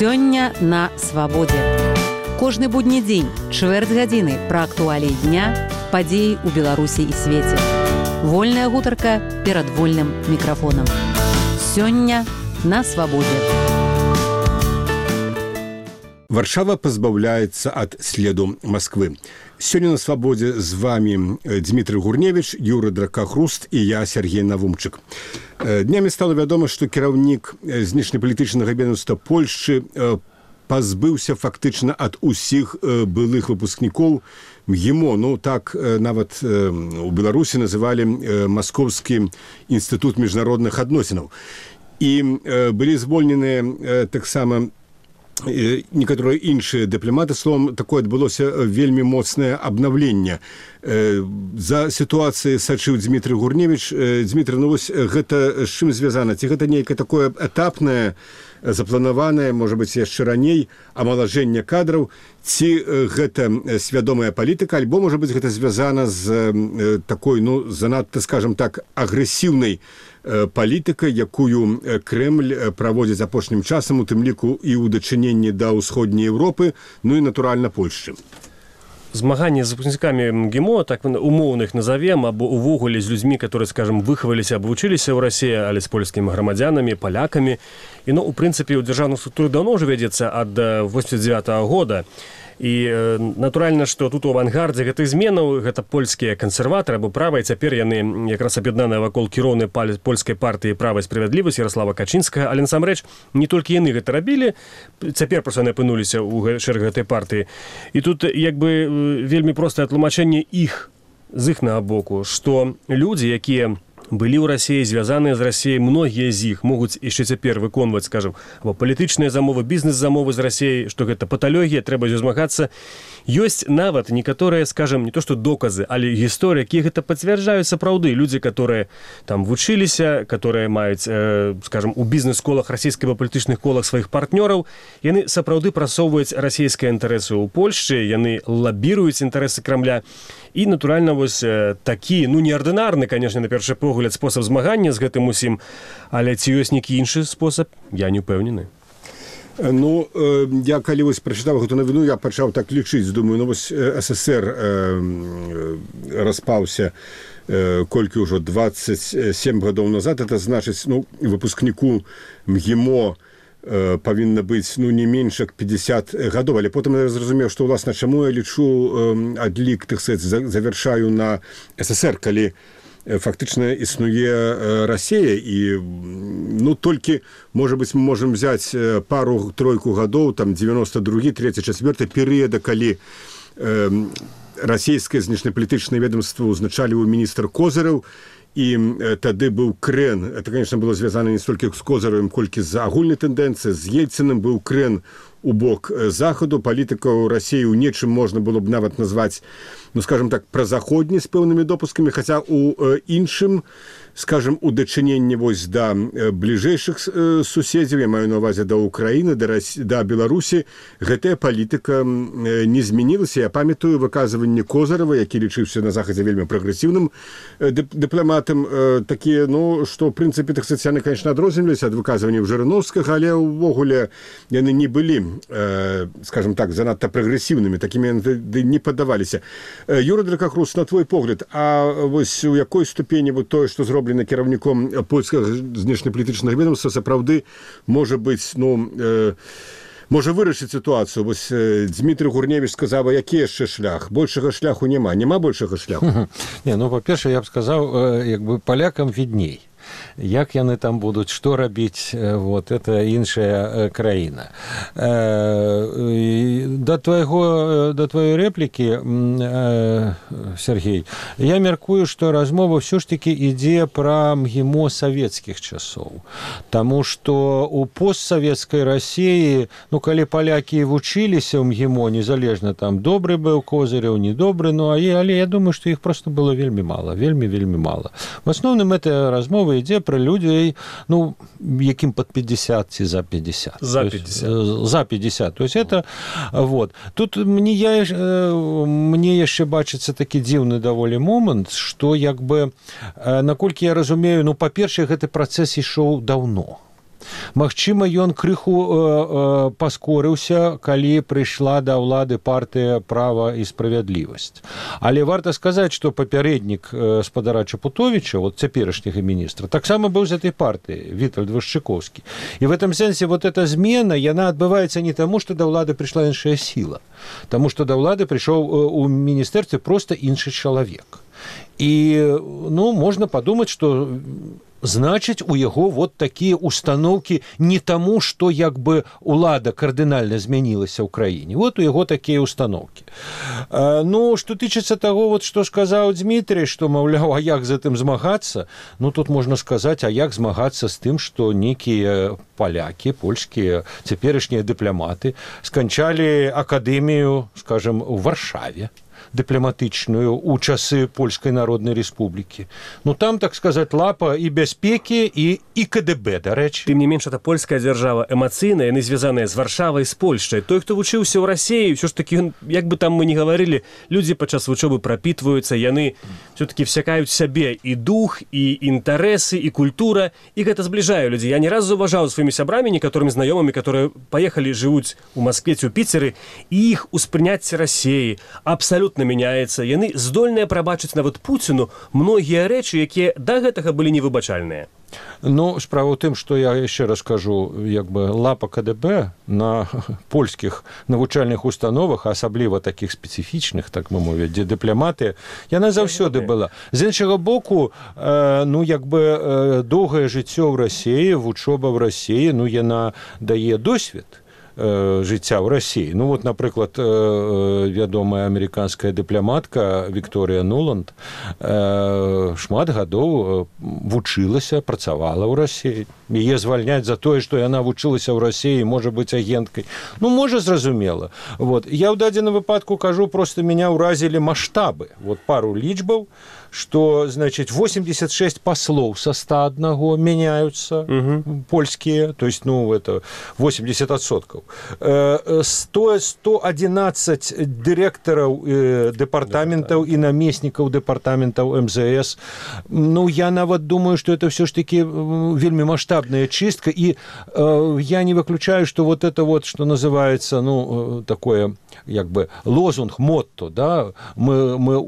Сёння на свабодзе. Кожны будні дзень, чвэрць гадзіны пра актуаліі дня, падзеі ў Беларусі і свеце. Вольная гутарка перад вольным мікрафонам. Сёння на свабодзе. Варшава пазбаўляецца ад следу Масквы. Сёння на свабодзе з вами Дмітрый Гурневіч, Юрый Дракахруст і я, Сергей Навумчык. Днямі стала вядома, што кіраўнік знешнепалітычнага ведомства Польшчы пазбыўся фактычна ад усіх былых выпускнікоў МГИМО. Ну, так нават у Беларусі называлі Маскоўскі інстытут міжнародных адносінаў. І былі звольненыя таксама некаторыя іншыя дыпламаты. Словом, такое адбылося вельмі моцнае абнаўленне. За сітуацыяй сачыў Дмітрый Гурневіч. Дмітрый, ну вось гэта з чым звязана? Ці гэта нейкае такое этапнае, запланаванае, можа быць, яшчэ раней амалажэнне кадраў, ці гэта свядомая палітыка, альбо, можа быць, гэта звязана з такой, ну, занадта, скажам так, агрэсіўнай палітыкай, якую Крэмль праводзіць апошнім часам, у тым ліку і ў дачыненні да ўсходняй Еўропы, ну і, натуральна, Польшчы. Змаганне з выпускнікамі МГИМО, так умоўна іх назовем, або увогуле з людзьмі, которые, скажем, выхаваліся або вучыліся ў Расіі, але з польскімі грамадзянамі, палякамі. І, ну, у прынцыпе, у дзяржаўных структурах даўно ўжо вядзецца ад 89-го года. І натуральна, што тут у авангардзе гэтых зменаў гэта польскія кансерватары або правыя, цяпер яны якраз аб'яднаныя вакол кіроўнай польскай партыі «Права і справядлівасць» Ярослава Качынскага, але насамрэч не толькі яны гэта рабілі, цяпер проста яны апынуліся ў шэраг гэтай партыі. І тут як бы вельмі простае тлумачэнне іх з іхнага боку, што людзі, якія былі ў Расіі, звязаныя з Расіяй, многія з іх могуць яшчэ цяпер выконваць, скажам, або палітычныя замовы, бізнес-замовы з Расіяй, што гэта паталогія, трэба з ёй змагацца. Ёсць нават некаторыя, скажам, не то што доказы, але гісторыі, якія гэта пацвярджаюць сапраўды. Людзі, которые там вучыліся, которые маюць, скажам, у бізнес-колах расійскіх або палітычных колах сваіх партнёраў, яны сапраўды прасоўваюць расійскія інтарэсы ў Польшчы, яны лабіруюць інтарэсы Крамля. І, натуральна, вось такі, ну, неардынарны, конечно, на першы погляд, спосаб змагання з гэтым усім, але ці ёсць нейкі іншы спосаб, я не ўпэўнены. Ну, я калі вось прачытаў гэту навіну, я пачаў так лічыць, думаю, ну вось СССР распаўся колькі ўжо 27 гадоў назад, это значыць, ну, выпускніку МГИМО павінна быць, ну, не менш як 50 гадоў, але потым я зразумеў, што, уласна, чаму я лічу адлік, так сказаць, завяршаю на СССР, калі фактычна існуе Расія, і, ну, толькі, можа быць, мы можам взяць пару-тройку гадоў, там, 92-й, 3-й, 4-й перыяда, калі расійскае знешнепалітычнае ведомство узначаліваў міністр Козыраў, і тады быў крэн, это, конечно, было звязана не столькі з Козыревым, колькі з агульнай тэндэнцыяй, з Ельцыным быў крэн у бок захаду, палітыка ў Расіі ў нечым можна было б нават назваць, ну, скажем так, празаходні з пэўнымі допускамі, хаця у іншым, скажем, у дачыненні вось да бліжэйшых суседзяў, я маю на ўвазе да Украіны, да Беларусі, гэтая палітыка не змянілася. Я памятаю выказванне Козырава, які лічыўся на захадзе вельмі прагрэсіўным дыпламатам, такія, ну, што, в прынцыпе, так сказаць, яны, конечно, адрозніваліся ад выказванняў Жырыноўскага, але ўвогуле яны не былі, скажем так, занадта прагрэсіўнымі, такімі яны не паддаваліся. Юрый Дракахруст, на твой погляд, а вось у якой ступені вот тое, што зроблена кіраўніком польскага знешнепалітычнага ведомства, сапраўды можа быць, ну, можа вырашыць сітуацыю. Вось Дмітрый Гурневіч сказаў, які яшчэ шлях? Большага шляху няма. Няма большага шляху? Не, ну, па-першае, я б сказаў, як бы палякам відней. Як яны там будуць, што рабіць, вот, это іншая краіна. Да твоей рэплікі, Сергей, я мяркую, што размова ўсё ж такі ідзе пра МГИМО савецкіх часоў. Таму што у постсавецкай Расіі, ну, калі палякі вучыліся ў МГИМО, незалежна там добры быў Козырев, недобры, ну, але я думаю, што іх проста было вельмі мала, вельмі мала. В асноўным эта размова ідзе пра людзей, ну, якім пад 50 ці за 50. За 50. За 50. То есть это, вот. Тут мне яшчэ бачыцца такі дзіўны даволі момант, што, як бы, наколькі я разумею, ну, па-першае, гэты працэс ішоў даўно. Магчыма, ён крыху паскорыўся, калі прыйшла да ўлады партыя «Права і справядлівасць». Але варта сказаць, што папярэднік спадара Чапутовіча, вот цяперашняга міністра, таксама быў з этой партыі, Вітальд Вашчыкоўскі. І в этом сэнсе вот эта змена, яна адбываецца не таму, што да ўлады прыйшла іншая сіла, таму што да ўлады прыйшоў у міністэрстве проста іншы чалавек. І, можна падумаць, што значыць, у яго вот такія установкі не таму, што як бы ўлада кардынальна змянілася ў краіне. Вот у яго такія установкі. Што тычыцца таго, вот, што сказаў Дмітрий, што, маўляў, а як з гэтым змагацца? Тут можна сказаць, а як змагацца з тым, што некія палякі, польскія, цяперашнія дыпламаты сканчалі акадэмію, скажем, у Варшаве, дыпламатычную ў часы Польскай Народнай Рэспублікі. Там, так сказаць, лапа і бяспекі, і КДБ, дарэчы. Тым не менш, это польская дзяржава эмацыйная, яны звязаныя з Варшавай, з Польшчай. Той, хто вучыўся ў Расіі, ўсё ж такі, як бы там мы не гаварылі, людзі падчас вучобы прапітваюцца, яны все-таки всякаюць сябе і дух, і інтарэсы, і культура, і гэта збліжае людзей. Я не раз заўважаў сваімі сябрамі, некаторымі знаёмымі, которые паехалі, жывуць у Маскве ці ў Піцеры, і іх успрыняцце Расіі абсалютна мяняецца. Яны здольныя прабачыць нават Пуціну многія рэчы, якія да гэтага былі невыбачальныя. Справа ў тым, што я яшчэ раз кажу, як бы лапа КДБ на польскіх навучальных установах, асабліва такіх спецыфічных, так мы мовіць, дзе дыпламаты, яна заўсёды была. З іншага боку, як бы доўгае жыццё ў Расіі, вучоба ў Расіі, яна дае досвед жыцця ў Расіі. Напрыклад, вядомая амерыканская дыпламатка Вікторыя Нуланд шмат гадоў вучылася, працавала ў Расіі. Яе звальняць за тое, што яна вучылася ў Расіі, можа быць агенткай. Можа, зразумела. Я ў дадзеным выпадку кажу, проста меня ўразілі маштабы. Пару лічбаў, что, значит, 86 послов со 101 меняются, польские, то есть, это 80%. 111 директоров департаментов и наместников департаментов МЗС. Я нават думаю, что это все ж таки вельми масштабная чистка, и я не выключаю, что вот это вот, что называется, такое, как бы, лозунг, мотто, да, мы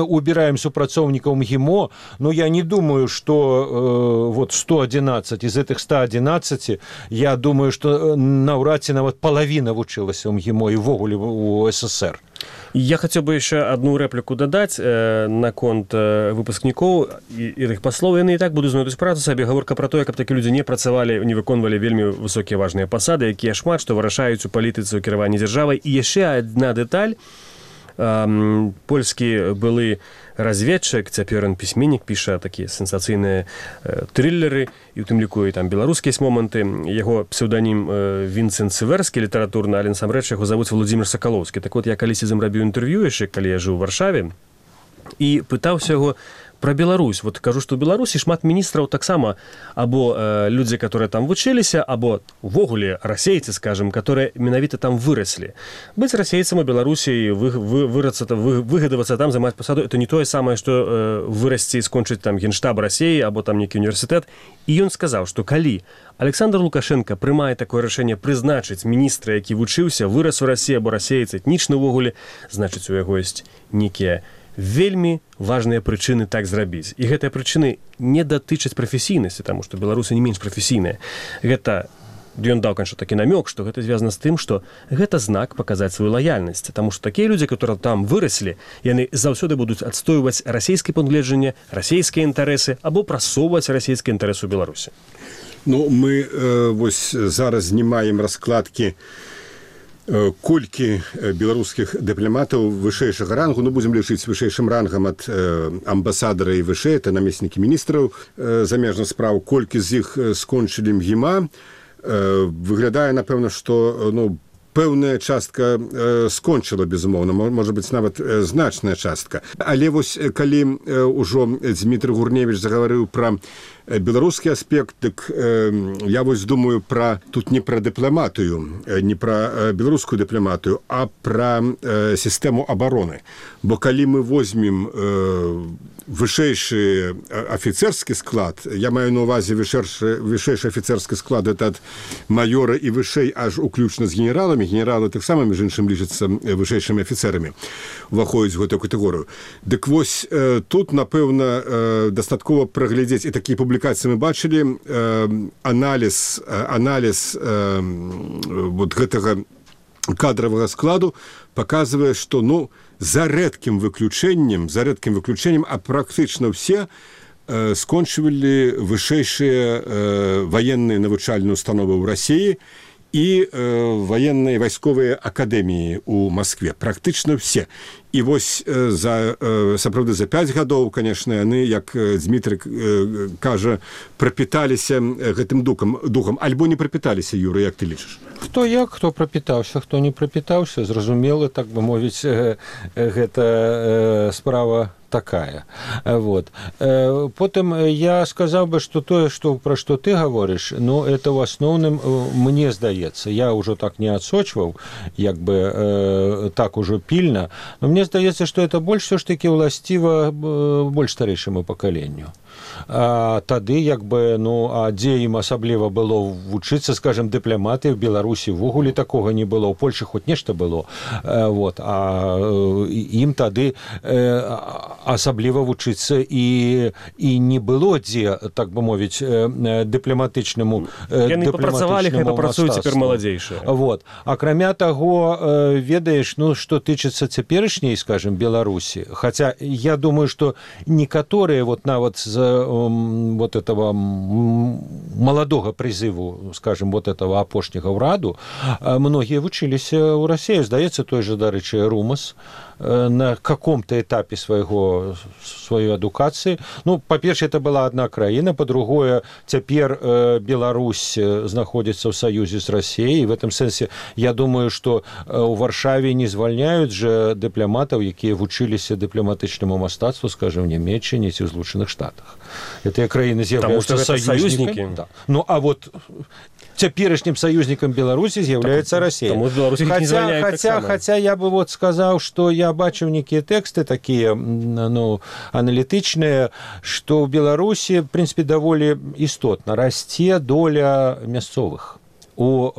убираем супрацоўнікаў МГИМО, но я не думаю, что 111, из этих 111, я думаю, что наўрад ці нават половина вучылася ў МГИМО и ввогуле у СССР. Я хотел бы еще одну реплику додать наконт выпускнікоў і іх паслоў. Яны і так будуць знойдуць працу сабе. Гаворка про тое, каб такі людзі не працавалі, не выконвалі вельмі высокія важныя пасады, якія шмат што вырашаюць у палітыцы, у кіраванні дзяржавай. І яшчэ одна дэталь. Польскі былы разведчык, цяпер ён пісьменнік, піша такія сенсацыйныя трыллеры, і у тым ліку і там беларускія моманты. Яго псеўданім Вінцэнт Сіверскі, літаратурны, але насамрэч яго завуць Владзімир Сакалоўскі. Так я калісьці з ім рабіў інтэрв'ю яшчэ, калі я жыў у Варшаве, і пытаўся яго про Беларусь. Кажу, што ў Беларусі шмат міністраў таксама або людзі, которые там вучыліся, або увогуле расейцы, скажем, которые менавіта там выраслі. Быць расейцам у Беларусі, выгадавацца там, займаць пасаду, это не тое самае, што вырасці і скончыць там генштаб Расіі або там нейкі універсітэт. І ён сказаў, што калі Александр Лукашенко прымае такое рашэнне прызначыць міністра, які вучыўся, вырас у Расіі або расейцы, этнічны ўвогуле, значыць, у яго ёсць нейкія вельмі важныя прычыны так зрабіць. І гэтыя прычыны не датычаць прафесійнасці, таму што беларусы не менш прафесійныя. Гэта, ён даў, конечно, такі намёк, што гэта звязана з тым, што гэта знак паказаць сваю лаяльнасць, таму што такія людзі, которые там выраслі, яны заўсёды будуць адстойваць расійскае пункт гледжання, расійскія інтарэсы або прасоўваць расійскія інтарэсы ў Беларусі. Мы зараз знімаем раскладкі колькі беларускіх дыпламатаў вышэйшага рангу, будзем лічыць вышэйшым рангам ад амбасадара і вышэй, это намеснікі міністраў замежных спраў, колькі з іх скончылі МГИМа. Выглядае, напэўна, што пэўная частка скончыла, безумоўна, можа быць, нават значная частка. Але вось калі ўжо Дмітрый Гурневіч загаварыў пра беларускі аспект, дык я вось думаю тут не пра дыпламатыю, не пра беларускую дыпламатыю, а пра сістэму абароны. Бо калі мы возьмем вышэйшы афіцэрскі склад, я маю на ўвазе вышэйшы афіцэрскі склад, это ад маёра і вышэй аж уключна з генераламі, генералы таксама, між іншым, лічацца вышэйшымі афіцэрамі, уваходзяць у гэтую катэгорыю. Дык вось тут, напэўна, дастаткова праглядзець, і такія публікацыі мы бачылі, аналіз вот гэтага кадравага складу паказвае, што, за рэдкім выключэннем, а практычна ўсе скончывалі вышэйшыя ваенныя навучальныя установы ў Расіі і ваенныя вайсковыя акадэміі ў Маскве. Практычна все. І вось сапраўды за 5 гадоў, конечно, яны, як Дмітрый кажа, прапіталіся гэтым духам. Альбо не прапіталіся, Юра, як ты лічыш? Хто як, хто прапітаўся, хто не прапітаўся, зразумела, так бы мовіць, гэта справа такая. Вот. Потым я сказаў бы, што тое, пра што ты гаворыш, это ў асноўным, мне здаецца, я ўжо так не адсочваў, як бы так ужо пільна, но мне здаецца, што это больш все ж таки ўласціва больш старэйшаму пакаленню. Тады, як бы, дзе ім асабліва было вучыцца, скажем, дыпламаты, в Беларусі ўвогуле такога не было, у Польшы хоць нешта было, вот, а ім тады асабліва вучыцца і не было дзе, так бы мовіць, дыпламатычнаму яны папрацавалі, хай папрацуюць цяпер маладзейшыя. Вот. Акрамя таго, ведаеш, што тычыцца цяперашняй, скажем, Беларусі, хаця я думаю, што некаторыя вот нават з вот этого молодого призыву, скажем, вот этого апошняга ўраду, многие вучыліся ў Расіі. Здаецца, той же, дарэчы, Румас на каком-то этапе своей адукации. По-перше, это была одна краіна, по-другое, цяпер Беларусь знаходзіцца ў саюзе з Расіяй, і в этом сэнсе я думаю, што у Варшаве не звальняюць же дыпламатаў, якія вучыліся дыпламатычнаму мастацтву, скажем, в Нямецчыне ці ў Злучаных Штатах. Гэтыя краіны з'яўляюцца саюзнікамі. Да. А вот цяперашнім саюзнікам Беларусі з'яўляецца Расія. Хаця я бы вот сказаў, што я бачыў некія тэксты такія, аналітычныя, што ў Беларусі, в принципе, даволі істотна расце доля мясцовых у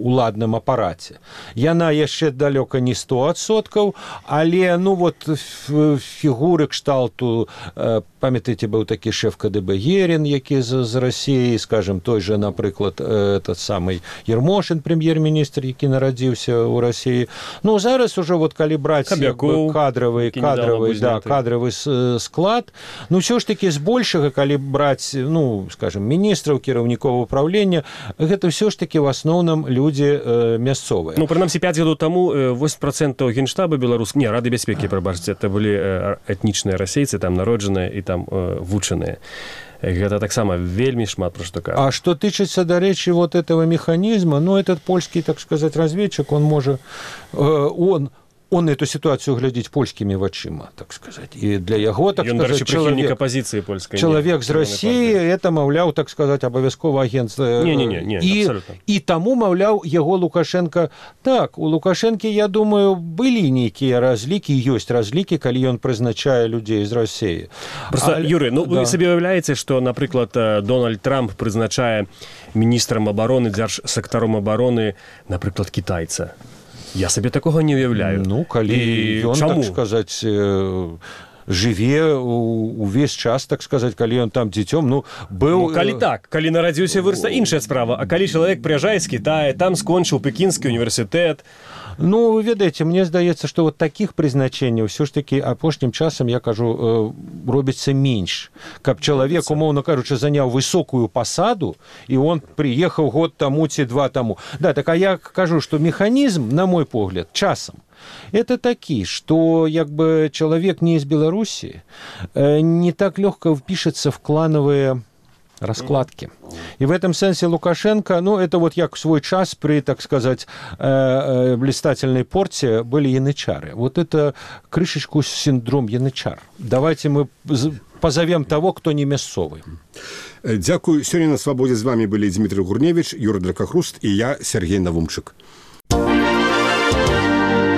уладным апараце. Яна яшчэ далёка не 100%, але фігуры кшталту, памятаеце, быў такі шэф КДБ Герин, які з Расіі, скажем, той же, напрыклад, этот самый Ермошин, прэм'ер-міністр, які нарадзіўся ў Расіі. Зараз уже вот калі браць кадравы склад, ўсё ж таки збольшага, калі браць, скажем, міністраў, кіраўнікоў управлення, гэта ўсё ж таки в асноўным людзі мясцовыя. Прынамсі, 5 гадоў таму 8% генштаба беларускага, Рады бяспекі, прабачце, это былі этнічныя расейцы, там народжаныя і там вучаныя. Гэта таксама вельмі шмат пра што кажа. А што тычыцца, дарэчы, вот этого механизма, этот польскі, так сказать, разведчик, он можа, он эту ситуацию глядзіць польскімі вачыма, так сказать. І для яго, так сказать, чалавек з Расіі, это, маўляў, так сказать, абавязкова агент. І таму, маўляў, яго Лукашенко... Так, у Лукашэнкі, я думаю, былі нейкія разлікі, ёсць разлікі, калі ён прызначае людзей з Расіі. Просто, Юрый, вы сабе уяўляеце, што, напрыклад, Дональд Трамп прызначае міністрам абароны, дзяржсактаром абароны, напрыклад, кітайца. Я сабе такога не уяўляю. Калі ён, так сказаць, жыве увесь час, так сказаць, калі ён там дзіцём, быў... Калі так, калі нарадзіўся, вырасла іншая справа. А калі чалавек прыязджае з Кітая, там скончыў Пекінскі універсітэт... Вы ведаеце, мне здаецца, што вот такіх прызначэнняў ўсё ж такі апошнім часам, я кажу, робіцца менш. Каб чалавек, умоўна кажучы, заняў высокую пасаду, і он прыехаў год таму ці 2 таму. Да, так, а я кажу, што механізм, на мой погляд, часам, это такі, што як бы чалавек не з Беларусі не так лёгка впішацца в клановыя раскладки. И в этом сенсе Лукашенко, ну, это вот як в свой час при, так сказать, блистательной порте были янычары. Вот это крышечку синдром янычар. Давайте мы позовем того, кто не мясцовый. Дякую. Сёння на свабодзе з вами былі Дмітрый Гурневіч, Юра Дракахруст і я, Сергей Навумчык.